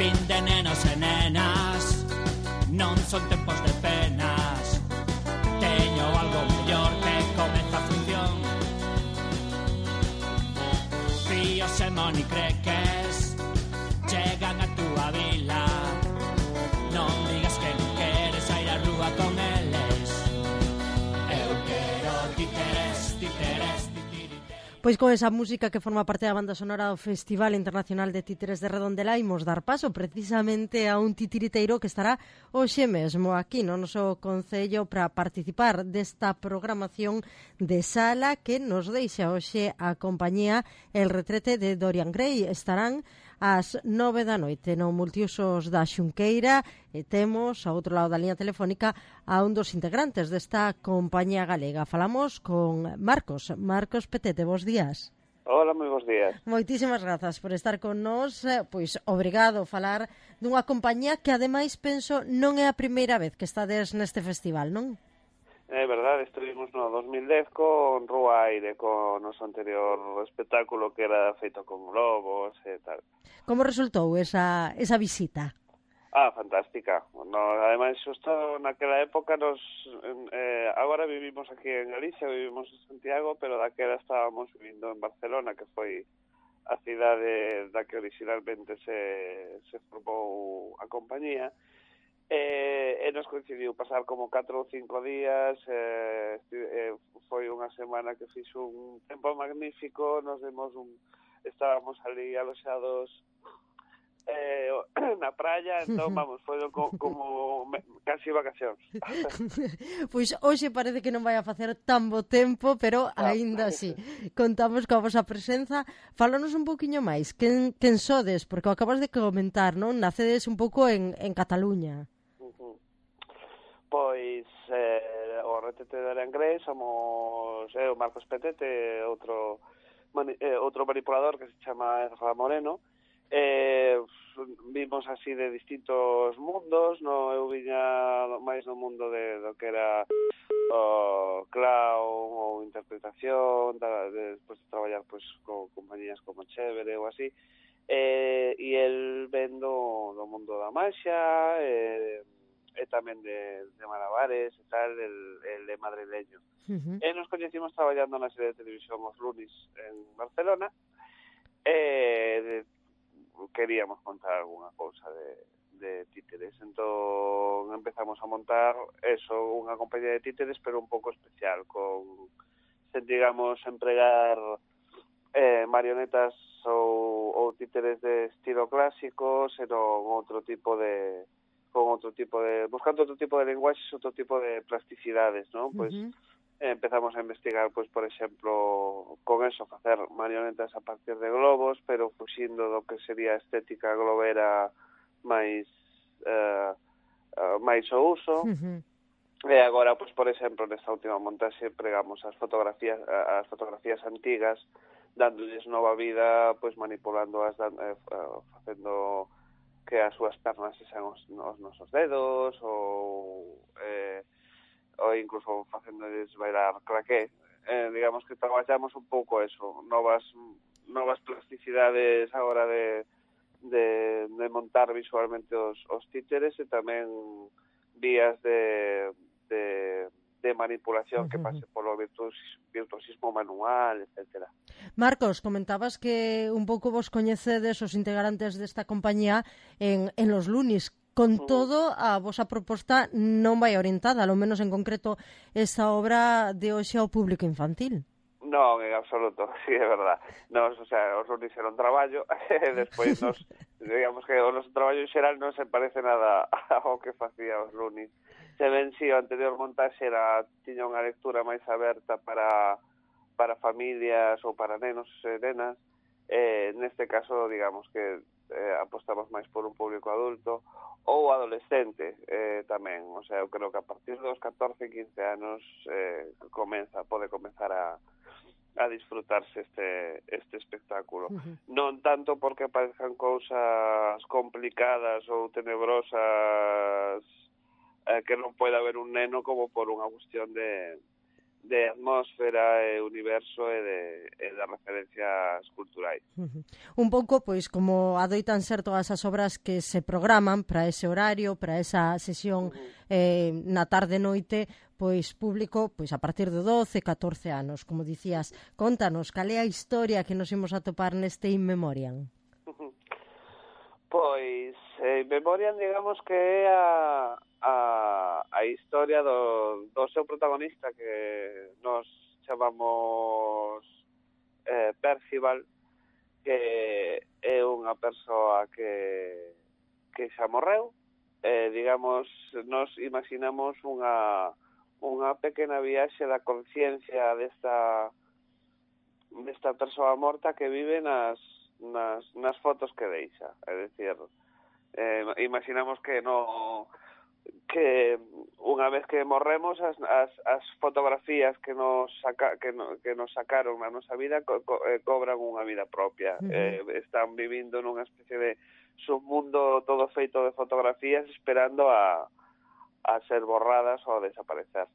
Fin de nenos e nenas, non son tempos de penas. Teño algo mellor que comeza a función. Fíos e monicreques chegan a túa vila. Non digas que non queres ir á rúa con eles. Eu quero títeres, títeres, títeres. Pois con esa música que forma parte da banda sonora do Festival Internacional de Títeres de Redondela imos dar paso precisamente a un titiriteiro que estará hoxe mesmo aquí no noso concello para participar desta programación de sala que nos deixa hoxe a compañía El Retrete de Dorian Gray. Estarán ás 9 da noite no Multiusos da Xunqueira e temos ao outro lado da liña telefónica a un dos integrantes desta compañía galega. Falamos con Marcos Petete, bos días. Hola, moi bons días. Moitísimas grazas por estar con nós, pois obrigado a falar dunha compañía que ademais penso non é a primeira vez que estades neste festival, non? É verdade, estuvimos no 2010 con Rúa Aire, con o noso anterior espectáculo que era feito con globos e tal. Como resultou esa visita? Fantástica. Ademais, xusto naquela época agora vivimos aquí en Galicia, vivimos en Santiago, pero daquela estábamos vivindo en Barcelona, que foi a cidade da que originalmente se formou a compañía. E nos coincidiu pasar como 4 ou 5 días, foi unha semana que fixo un tempo magnífico, estábamos ali aloxados na praia, entón, vamos, foi como casi vacacións. Pois hoxe parece que non vai a facer tan bo tempo, pero aínda así contamos coa vosa presenza. Fálanos un poquinho máis, quen sodes, porque o acabas de comentar, non? Nacedes un pouco en Cataluña. Pois o Retrete de Dorian Gray somos eu, Marcos Petete, outro manipulador que se chama Ezra Moreno. Vimos así de distintos mundos, eu viña máis no mundo do que era o clown ou interpretación, despois de traballar pois con compañías como Chévere ou así, e el ven do mundo da maxia, e tamén de malabares e tal, el é madrileño. E nos coñecimos traballando na serie de televisión Os Lunis en Barcelona, e queríamos contar alguna cousa de títeres, entón empezamos a montar unha compañía de títeres, pero un pouco especial, sen, digamos, empregar marionetas ou títeres de estilo clásico, senón buscando outro tipo de lenguaxes, outro tipo de plasticidades, non? Pois empezamos a investigar, pois, por exemplo, con eso, facer marionetas a partir de globos, pero fuxindo do que sería a estética globera máis o uso. E agora, pois, por exemplo, nesta última montaxe pregamos as fotografías antigas, dándolles nova vida, pois manipulándoas, facendo que as súas pernas sean os nosos dedos, ou incluso facéndoles bailar claqué. Digamos que traballamos un pouco eso, novas plasticidades a hora de montar visualmente os títeres, e tamén vías de manipulación que pase polo virtuosismo manual, etcétera. Marcos, comentabas que un pouco vos coñecedes os integrantes desta compañía en Los Lunis. Con todo, a vosa proposta non vai orientada, ao menos en concreto, esa obra de hoxe ao público infantil. Non, en absoluto, sí, é verdad. Os Lunis era un traballo, e despois digamos que o noso traballo en xeral non se parece nada ao que facía os Lunis. Se ven, si o anterior montaxe tiña unha lectura máis aberta para familias ou para nenos e nenas, neste caso, digamos que apostamos máis por un público adulto ou adolescente tamén. O sea, eu creo que a partir dos 14, 15 anos pode comenzar a disfrutarse este espectáculo. Non tanto porque parezcan cousas complicadas ou tenebrosas que non pode haber un neno, como por unha cuestión de atmósfera e universo e de referencias culturais. Un pouco, pois, como adoitan ser todas as obras que se programan para ese horario, para esa sesión na tarde-noite, pois público pois a partir de 12, 14 anos, como dicías. Contanos, cal é a historia que nos imos atopar neste In Memoriam? Pois, In Memoriam, digamos que é a historia do seu protagonista, que nos chamamos Percival, que é unha persoa que xa morreu. Digamos, nos imaginamos unha pequena viaxe da conciencia desta persoa morta que vive nas fotos que deixa. É dicir, imaginamos que unha vez que morremos as fotografías que nos sacaron na nosa vida cobran unha vida propia. Están vivindo nunha especie de submundo todo feito de fotografías esperando a ser borradas ou a desaparecer.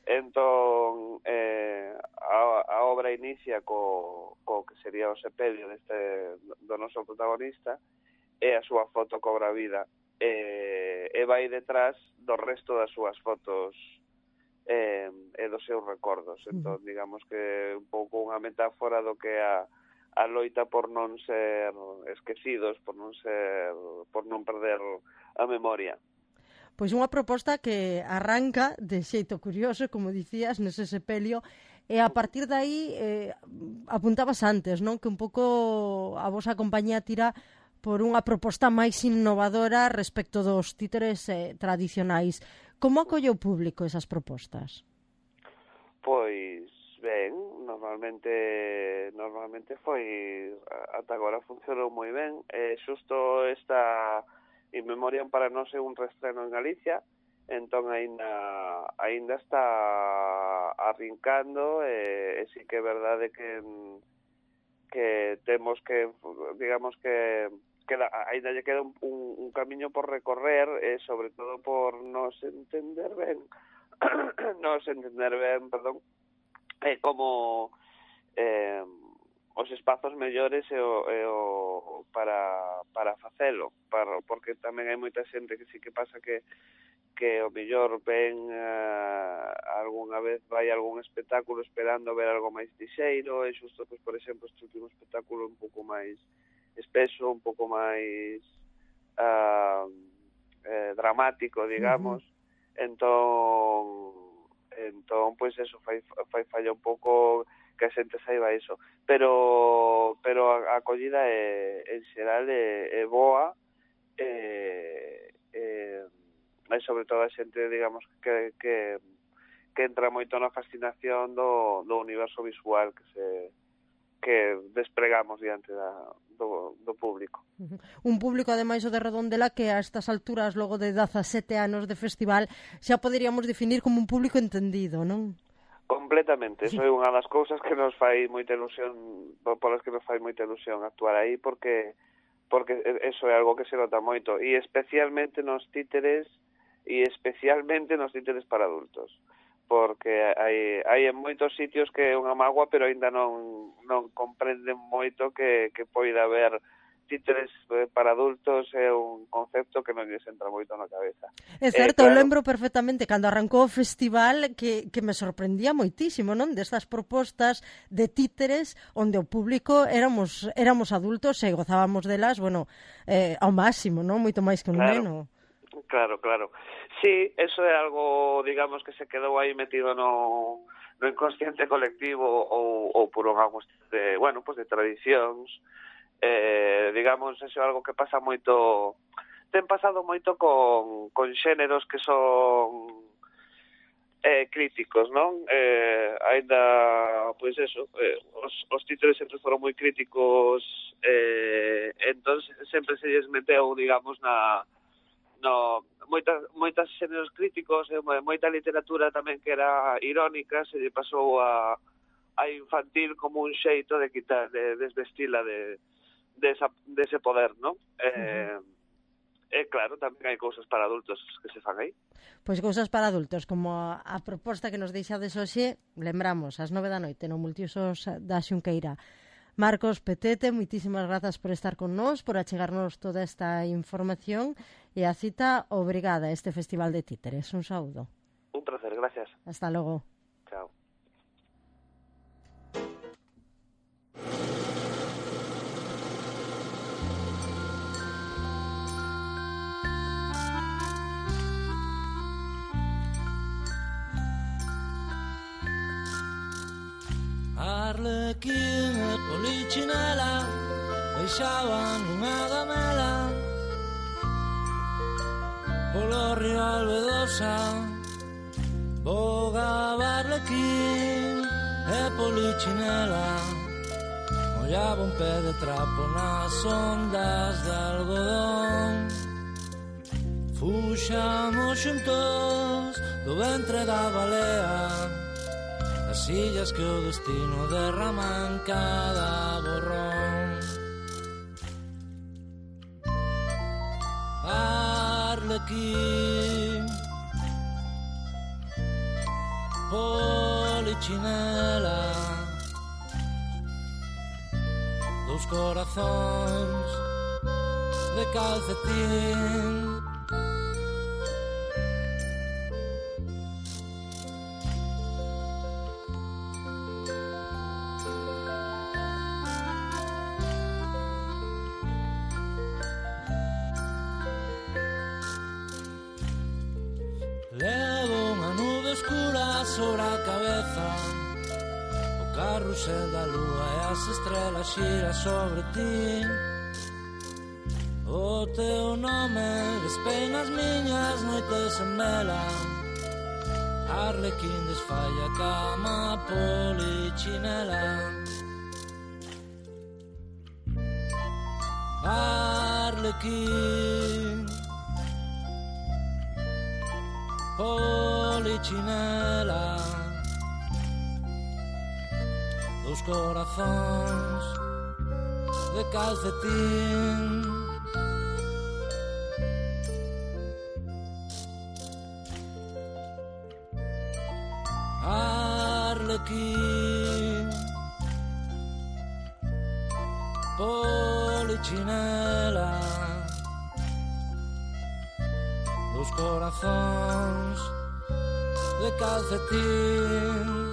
Entón, a obra inicia co que sería o sepelio do noso protagonista, e a súa foto cobra vida, e vai detrás do resto das súas fotos e dos seus recordos. Entón, digamos que un pouco unha metáfora do que a loita por non ser esquecidos, por non perder a memoria. Pois unha proposta que arranca de xeito curioso, como dicías, nese sepelio, e a partir de aí apuntabas antes, non? Que un pouco a vosa compañía tira por unha proposta máis innovadora respecto dos títeres tradicionais. Como acolle o público esas propostas? Pois ben, normalmente foi, ata agora funcionou moi ben. Xusto esta In Memoriam para nós é un reestreno en Galicia, entón aínda está arrincando, e sí que é verdade que temos que, digamos que aínda lle queda un camiño por recorrer, e sobre todo por nos entender ben, como os espazos mellores para facelo, porque tamén hai moita xente que sí que pasa que o mellor ven algunha vez vai algún espectáculo esperando ver algo máis lixeiro, e xusto, pues, por exemplo, este último espectáculo un pouco máis espeso, un pouco máis dramático, digamos. Entón, pois eso fai falla un pouco que a xente saiba iso, pero a acollida en xeral é boa, e sobre todo a xente, digamos, que entra moito na fascinación do universo visual que despregamos diante do público. Un público, ademais, o de Redondela, que a estas alturas, logo de 17 anos de festival, xa poderíamos definir como un público entendido, non? Completamente, eso é unha das cousas que nos fai moita ilusión, polas que nos fai moita ilusión actuar aí, porque eso é algo que se nota moito, e especialmente nos títeres para adultos, porque hai en moitos sitios que é unha mágoa, pero aínda non comprenden moito que poida haber títeres para adultos. É un concepto que non lles entra moito na cabeza. É certo, claro. Eu lembro perfectamente cando arrancou o festival que me sorprendía moitísimo, non? Destas propostas de títeres onde o público éramos adultos e gozábamos delas, bueno, ao máximo, non? Moito máis que un neno. Claro. Sí, eso é algo, digamos, que se quedou aí metido no inconsciente colectivo ou por unha cuestión de tradicións. Digamos, eso é algo que pasa moito, ten pasado moito con xéneros que son críticos, non? Ainda, pois eso, os títeres sempre foron moi críticos, entón sempre se lles meteu, digamos, moitas xéneros críticos, moita literatura tamén que era irónica, se lle pasou a infantil como un xeito de quitar, de desvestila dese poder, non? claro, tamén hai cousas para adultos que se fan aí. Pois cousas para adultos, como a proposta que nos deixades hoxe, lembramos, ás 9 da noite no Multiusos da Xunqueira. Marcos Petete, moitísimas grazas por estar con nós, por achegarnos toda esta información e a cita obrigada a este Festival de Títeres. Un saúdo. Un placer, gracias. Hasta logo. Chao. Arlequín e Polichinela deixaban unha gamela polo río Albedosa. Bogaba Arlequín e Polichinela, mollaba un pé de trapo nas ondas de algodón. Fuxamos xuntos do ventre da balea, as illas que o destino derrama en cada borrón. Arlequín, Polichinela, dous corazóns de calcetín. Sobre a cabeza o carrusel da lúa e as estrelas xira sobre ti. O teu nome despeina as miñas noites en vela. Arlequín desfai a cama, Polichinela. Arlequín, Polichinela, dous corazóns de calcetín. Arlequín, Polichinela, dous corazóns de calcetín.